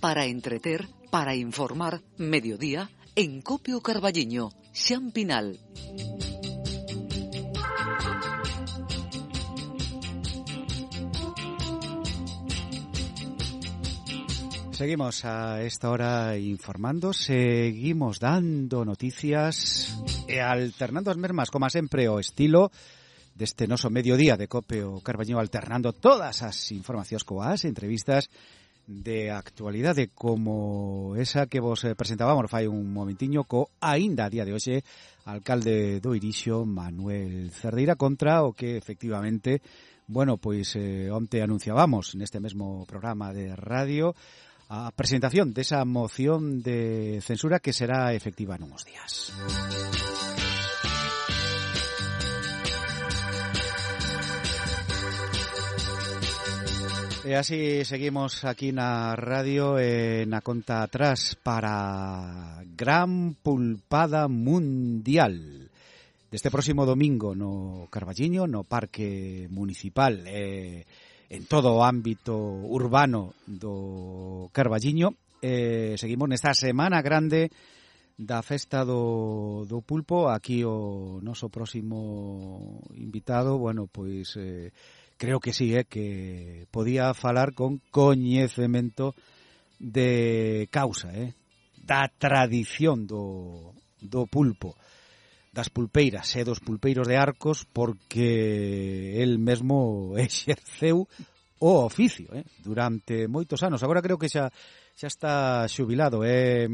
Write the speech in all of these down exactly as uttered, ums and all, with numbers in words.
para entreter, para informar, mediodía, en Copio Carballiño, Xan Pinal. Seguimos a esta hora informando, seguimos dando noticias e alternando as mesmas, como sempre, o estilo deste noso mediodía de Copio Carballiño, alternando todas as informacións coas entrevistas de actualidade como esa que vos presentábamos fai un momentiño co aínda a día de hoxe alcalde do Irixo, Manuel Cerdeira, contra o que efectivamente, bueno, pois eh, onte anunciábamos neste mesmo programa de radio a presentación desa moción de censura que será efectiva nuns días. E así seguimos aquí na radio e na conta atrás para Gran Pulpada Mundial. Deste próximo domingo no Carballiño, no Parque Municipal, e en todo o ámbito urbano do Carballiño. Eh, seguimos nesta semana grande da festa do, do pulpo. Aquí o noso próximo invitado, bueno, pois eh, creo que sí, eh, que podía falar con coñecemento de causa, eh, da tradición do, do pulpo, das pulpeiras e dos pulpeiros de Arcos, porque el mesmo exerceu o oficio eh, durante moitos anos. Agora creo que xa xa está xubilado, é eh,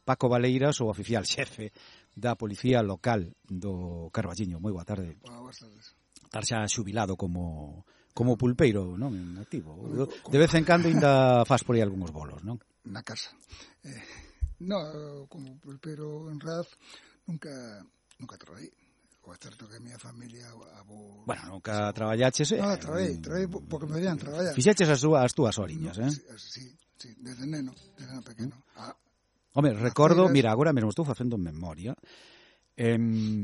Paco Valeiras, o oficial xefe da Policía Local do Carballiño. Moi boa tarde. Boas tardes. Estar xa xubilado como como pulpeiro, non? En activo. De vez en cando ainda faz por aí algúns bolos, non? Na casa. Eh, no, como pulpeiro en Raz nunca nunca traballei. O é certo que a miña familia abo... Bueno, nunca traballaches, eh? No, traballei, traballei porque me veían traballar. Fixeches as túas, as túas oriñas, no, eh? Sí, sí, desde neno, desde neno pequeno. Ah, Home, recordo, feiras... mira, agora mesmo estou facendo memoria, eh,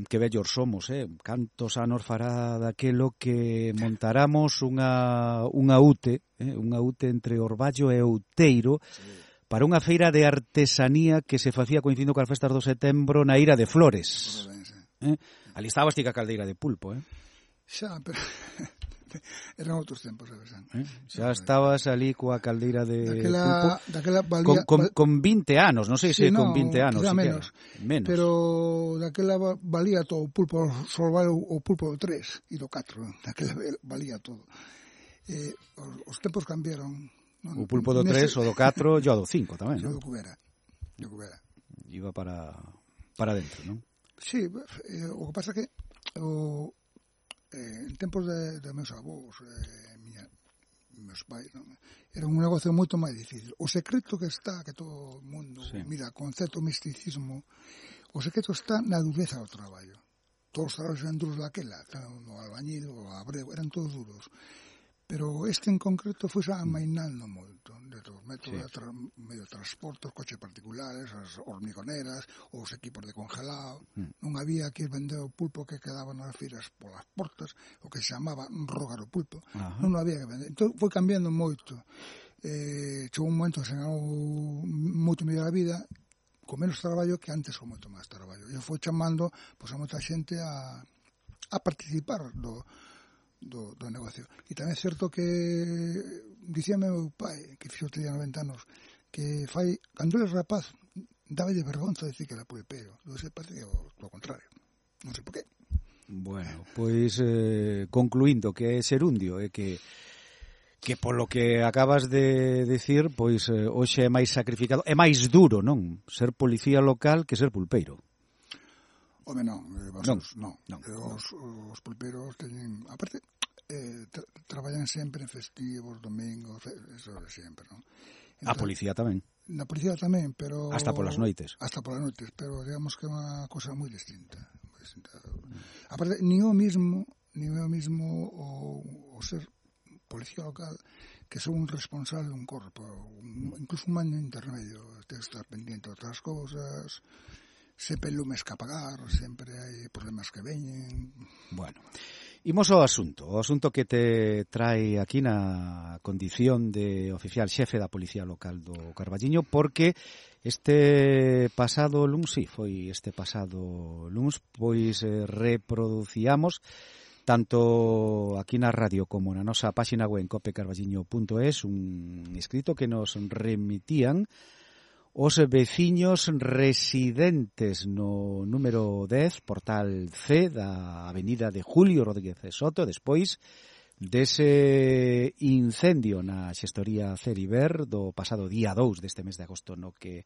que vellos somos, eh? Cantos anos fará daquelo que montaramos unha, unha U T E, eh? Unha U T E entre Orballo e Outeiro, sí, para unha feira de artesanía que se facía coincidindo coas festas do setembro na Ira de Flores. Eh? Ali estabas ti ca caldeira de pulpo, eh? Xa, pero eran outros tempos, sabes? Eh? Xa estabas ali coa caldeira de daquela, pulpo daquela valía, con, con, con vinte anos, non sei se sí, no, con vinte anos, menos, menos. Pero daquela valía todo o pulpo, só vale o pulpo do tres e do catro, daquela valía todo. Eh, os, os tempos cambiaron. O pulpo do tres, o do catro e o do cinco tamén, non? O do cubera. O cubera. Iba para para dentro, non? Sí, eh, o que pasa que o, eh, en tempos de, de meus avós, eh, miña, meus pais, non? Era un negocio moito máis difícil. O secreto que está, que todo o mundo, sí, mira, concepto misticismo, o secreto está na dureza do traballo. Todos os traballos eran duros daquela, o albañil, o abrego, eran todos duros. Pero este en concreto foi xa amainando moito, de todos os métodos, sí, de tra medio de transporte, os coches particulares, as hormigoneras, os equipos de congelado. Mm. Non había que vender o pulpo que quedaba nas feiras polas portas, o que se chamaba rogar o pulpo. Ajá. Non había que vender. Entón foi cambiando moito. Eh, chegou un momento que se ganou moito mellor a vida, con menos traballo que antes con moito máis traballo. E foi chamando pois, a moita xente a, a participar do Do, do negocio. E tamén é certo que dicíame meu pai, que fixo tenía noventa anos, que fai, cando eres rapaz dáballe vergonza decir que era pulpeiro. Lo sei, parece que é o, o contrario. Non sei por qué. Bueno, pois eh, concluindo que é serundio, é que que polo que acabas de decir, pois eh, hoxe é máis sacrificado, é máis duro, non? Ser policía local que ser pulpeiro. Home, non, eh, vosotros, non, non. non. Os, os pulpeiros teñen, aparte, eh, tra traballan sempre en festivos, domingos, eso de sempre, non? Entón, a policía tamén. Na policía tamén, pero... Hasta polas noites. Hasta polas noites, pero digamos que é unha cosa moi distinta. Moi distinta. Mm. Aparte, ni o mismo, ni o mismo o, o ser policía local que son un responsable dun corpo, un, incluso un mando intermedio, ten que estar pendiente de outras cousas... Sempre lumes que apagar, sempre hai problemas que veñen. Bueno, Imos ao asunto, o asunto que te trae aquí na condición de oficial xefe da Policía Local do Carballiño, porque este pasado luns, sí, foi este pasado luns, pois eh, reproducíamos tanto aquí na radio como na nosa páxina web en cope carballiño punto es un escrito que nos remitían os veciños residentes no número dez, portal C da avenida de Julio Rodríguez Soto, despois dese incendio na xestoría Ceriber do pasado día dous deste mes de agosto no que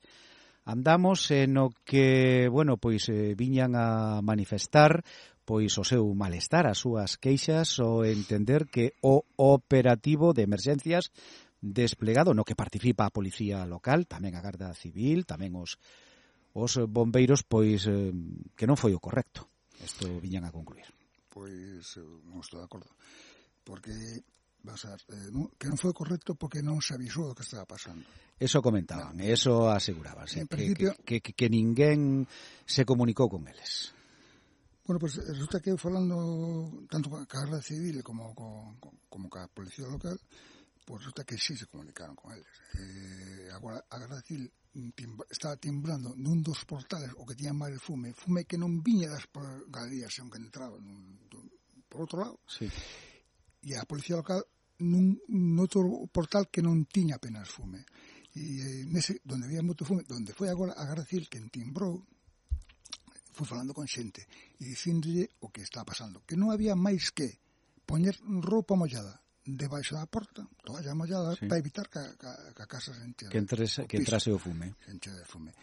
andamos, e no que, bueno, pois eh, viñan a manifestar pois o seu malestar, as súas queixas, o entender que o operativo de emerxencias desplegado no que participa a Policía Local, tamén a Garda Civil, tamén os os bombeiros, pois eh, que non foi o correcto. Isto viñan a concluir. Pois non estou de acordo, porque vas a, eh, non, que non foi o correcto porque non se avisou do que estaba pasando. Eso comentaban, no. Eso aseguraban, en que, principio, que, que, que ninguén se comunicou con eles. Bueno, pues resulta que falando tanto con a Garda Civil como con, como ca Policía Local, pues resulta que sí se comunicaron con eles. Eh, agora, a Garda Civil timba, estaba timbrando nun dos portales o que tiña máis fume, fume que non viña das galerías, senón que entraba nun, dun, por outro lado. Sí. E a Policía Local nun, nun outro portal que non tiña apenas fume. E eh, nese, donde había moito fume, donde foi agora a Garda Civil que timbrou, foi falando con xente e dicíndolle o que está pasando, que non había máis que poñer roupa mollada debaixo da porta, toalla mollada, sí, para evitar que, que, que a casa se enche, que, entrese, que entrase o fume. Se enche de fume.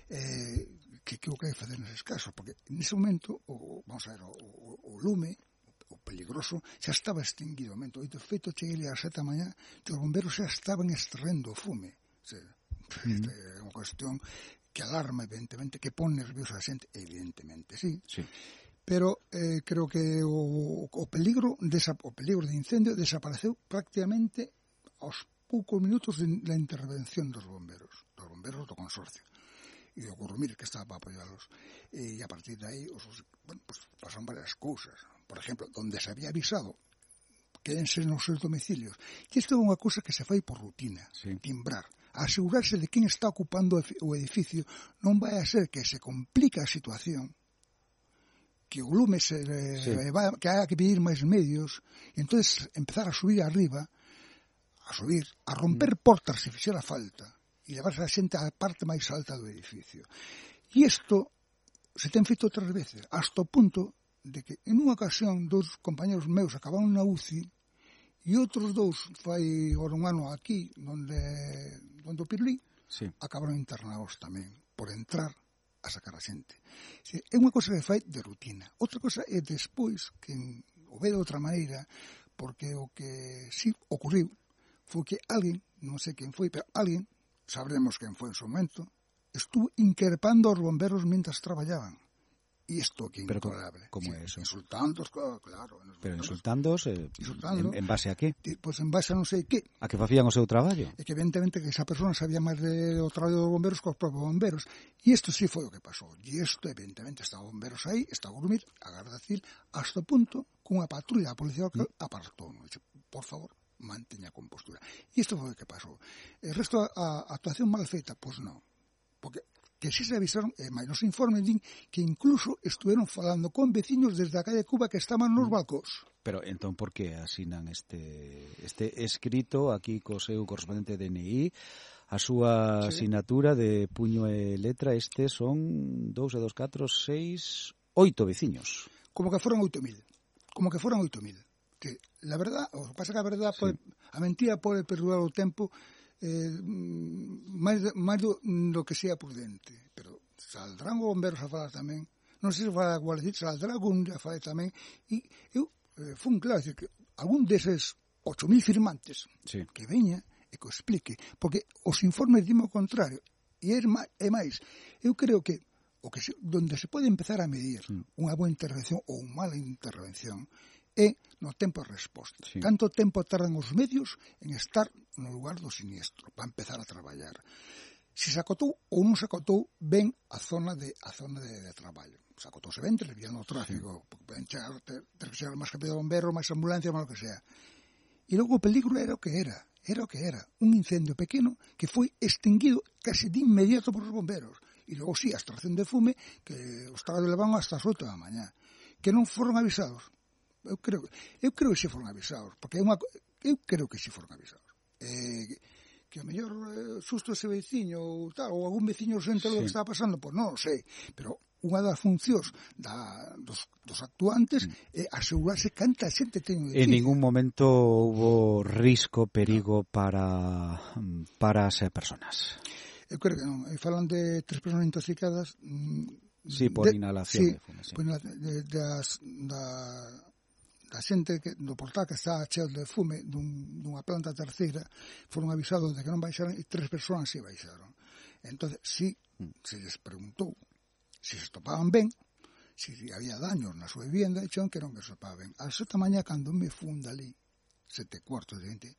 Eh, que que o que hai facer neses casos? Porque nese momento, o, vamos a ver, o, o, o lume, o peligroso, xa estaba extinguido. E de feito, cheguei ás sete da mañá, e os bomberos xa estaban extraendo o fume. O sea, mm. É unha cuestión que alarma, evidentemente, que pon nerviosa a xente, evidentemente, sí. Sí. Pero eh, creo que o, o peligro desa, o peligro de incendio desapareceu prácticamente aos poucos minutos de la intervención dos bomberos, dos bomberos do consorcio e do Currumir, que estaba para apoiarlos. E a partir de aí, os, bueno, pues pasaron varias cousas. Por exemplo, donde se había avisado quédense nos seus domicilios. Que isto é unha cousa que se fai por rutina, sí, timbrar, asegurarse de quen está ocupando o edificio, non vai a ser que se complica a situación, que o lume se sí, va, que haya que pedir máis medios, e entonces empezar a subir arriba, a subir, a romper portas se fixera falta, e levarse a xente á parte máis alta do edificio. E isto se ten feito outras veces, hasta o punto de que en unha ocasión dous compañeros meus acabaron na U C I e outros dous fai agora un ano aquí, onde, onde o Pirlí, sí, acabaron internados tamén por entrar a sacar a xente. É unha cosa que fai de rutina. Outra cosa é despois que o ve de outra maneira, porque o que sí ocurriu foi que alguén, non sei quen foi, pero alguén, sabremos quen foi en su momento, estuvo increpando aos bomberos mientras traballaban. E isto que é intolerable. Como sí, é eso? Insultándos, claro. claro Pero insultándos, eh, insultando, en, en base a qué? Pois pues en base a non sei que. A que facían o seu traballo? E que evidentemente que esa persona sabía máis de, do traballo dos bomberos que os propios bomberos. E isto sí foi o que pasou. E isto evidentemente está bomberos aí, está a Currumir, a Garda Civil, hasta o punto que unha patrulla da Policía Local mm. apartou. Dice, por favor, manteña a compostura. E isto foi o que pasou. El resto, a, a actuación mal feita, pois pues non. Porque que si se avisaron, e máis nos informes din que incluso estuveron falando con veciños desde a calle Cuba que estaban nos balcós. Pero entón, por que asinan este este escrito aquí co seu correspondente D N I, a súa sí, asinatura de puño e letra? Estes son dous e dos, catro, seis, oito veciños. Como que foron oito mil. Como que foron oito mil. Que la verdad, o que pasa que a verdad, sí, pode, a mentira pode perdurar o tempo, eh, máis, máis do, do que sea prudente, pero saldrán os bomberos a falar tamén, non sei se vai a Guardia, saldrá algún a falar tamén, e eu eh, fun claro, decir, que algún deses ocho mil firmantes, sí, que veña e que o explique, porque os informes dimo o contrario, e é máis, eu creo que o que se, donde se pode empezar a medir mm. unha boa intervención ou unha mala intervención é no tempo de resposta. Sí. Canto tempo tardan os medios en estar no lugar do siniestro para empezar a traballar. se se acotou ou non se acotou ben a zona de a zona de, de traballo. Se acotouse ben, desviando o tráfico, porque poden chegar, ter, ter que chegar máis rápido bomberos, máis ambulancia, máis o que sea. E logo o peligro era o que era, era o que era, un incendio pequeno que foi extinguido casi de inmediato por os bomberos. E logo sí, a extracción de fume, que os estaba levando hasta as oito da mañá. Que non foron avisados. Eu creo, eu creo que xe foron avisados, porque é unha, eu creo que xe foron avisados. Eh, que a mellor eh, susto ese veciño ou tal, ou algún veciño se enterou sí. do que estaba pasando, pois non o sei, pero unha das funcións da, dos, dos actuantes é mm. asegurarse canta xente ten. En ningún momento hubo risco, perigo no. para para as personas. Eu creo que non, e falan de tres persoas intoxicadas. Sí, por de, inhalación sí, de fume, sí. Por, de, de as, da a xente que, do portal que está cheo de fume dun, dunha planta terceira foron avisados de que non baixaran e tres persoas si baixaron. Entón, si se les preguntou se se topaban ben, se si había daños na súa vivienda, e xeron que non que se topaban ben. A seta mañá, cando me funda ali, sete cuartos de vinte,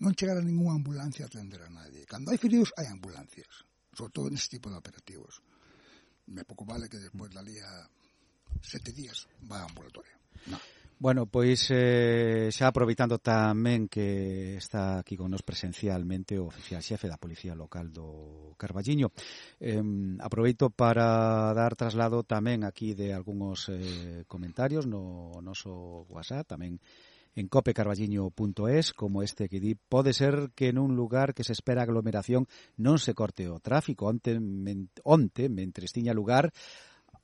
non chegara ninguna ambulancia a atender a nadie. Cando hai feridos, hai ambulancias, sobre todo neste tipo de operativos. Me pouco vale que despois dali a sete días va a ambulatorio. Non. Bueno, pois eh, xa aproveitando tamén que está aquí con nos presencialmente o oficial xefe da Policía Local do Carballiño, eh, aproveito para dar traslado tamén aquí de algúns eh, comentarios no noso WhatsApp, tamén en cope carballiño punto es, como este que di, pode ser que nun lugar que se espera aglomeración non se corte o tráfico. Onte, men, onte mentres tiña lugar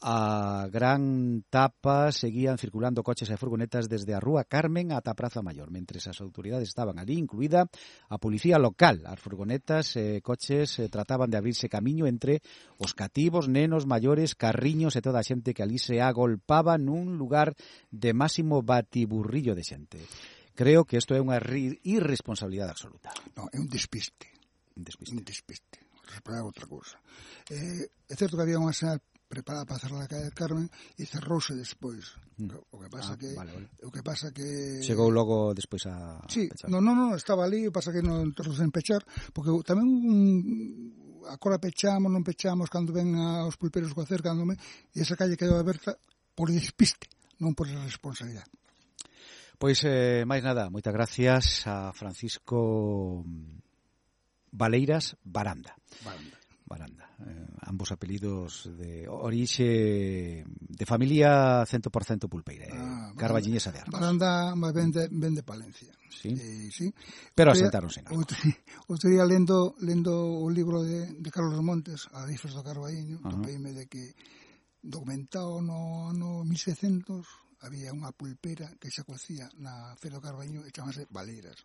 a gran tapa, seguían circulando coches e furgonetas desde a Rúa Carmen ata a Praza Maior, mentres as autoridades estaban ali, incluída a policía local. As furgonetas e coches eh, trataban de abrirse camiño entre os cativos, nenos, maiores, carriños e toda a xente que ali se agolpaba nun lugar de máximo batiburrillo de xente. Creo que isto é unha irresponsabilidade absoluta. Non, é un despiste. Un despiste. Un despiste. Responder outra cousa. Eh, é certo que había unha señal preparada para cerrar a calle del Carmen e cerrouse despois. Mm. O que pasa ah, que vale, vale. o que pasa que chegou logo despois a sí, pechar. No, no, no, estaba ali, o pasa que non tardou en pechar, porque tamén un agora pechamos, non pechamos cando ven aos pulperos co acercándome, e esa calle quedou aberta por despiste, non por responsabilidade. Pois eh, máis nada, moitas gracias a Francisco Valeiras Baranda. Baranda. Baranda, eh, ambos apelidos de orixe de familia cento por cento pulpeira, ah, carballiñesa de Arcos. Baranda ven de, ven de Palencia. Sí. Eh, sí. Pero asentáronse en Arcos. Outro día lendo, lendo o libro de, de Carlos Montes, Adifes do Carballiño, uh-huh. topeime de que documentado no ano mil seiscentos había unha pulpera que se cocía na Feira do Carballiño e chamase Valeiras.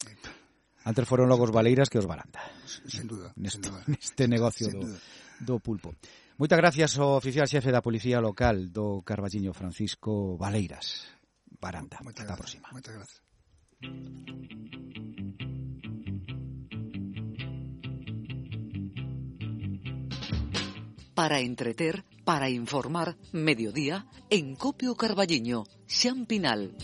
Eh, Antes foron logo os Valeiras que os Baranda. Sen duda. Neste, sen duda. neste negocio do, do pulpo. Moitas gracias ao oficial xefe da Policía Local do Carballiño, Francisco Valeiras Baranda. Moitas Ata a próxima. Moitas gracias. Para entreter, para informar, mediodía, en Copio Carballiño, Xan Pinal.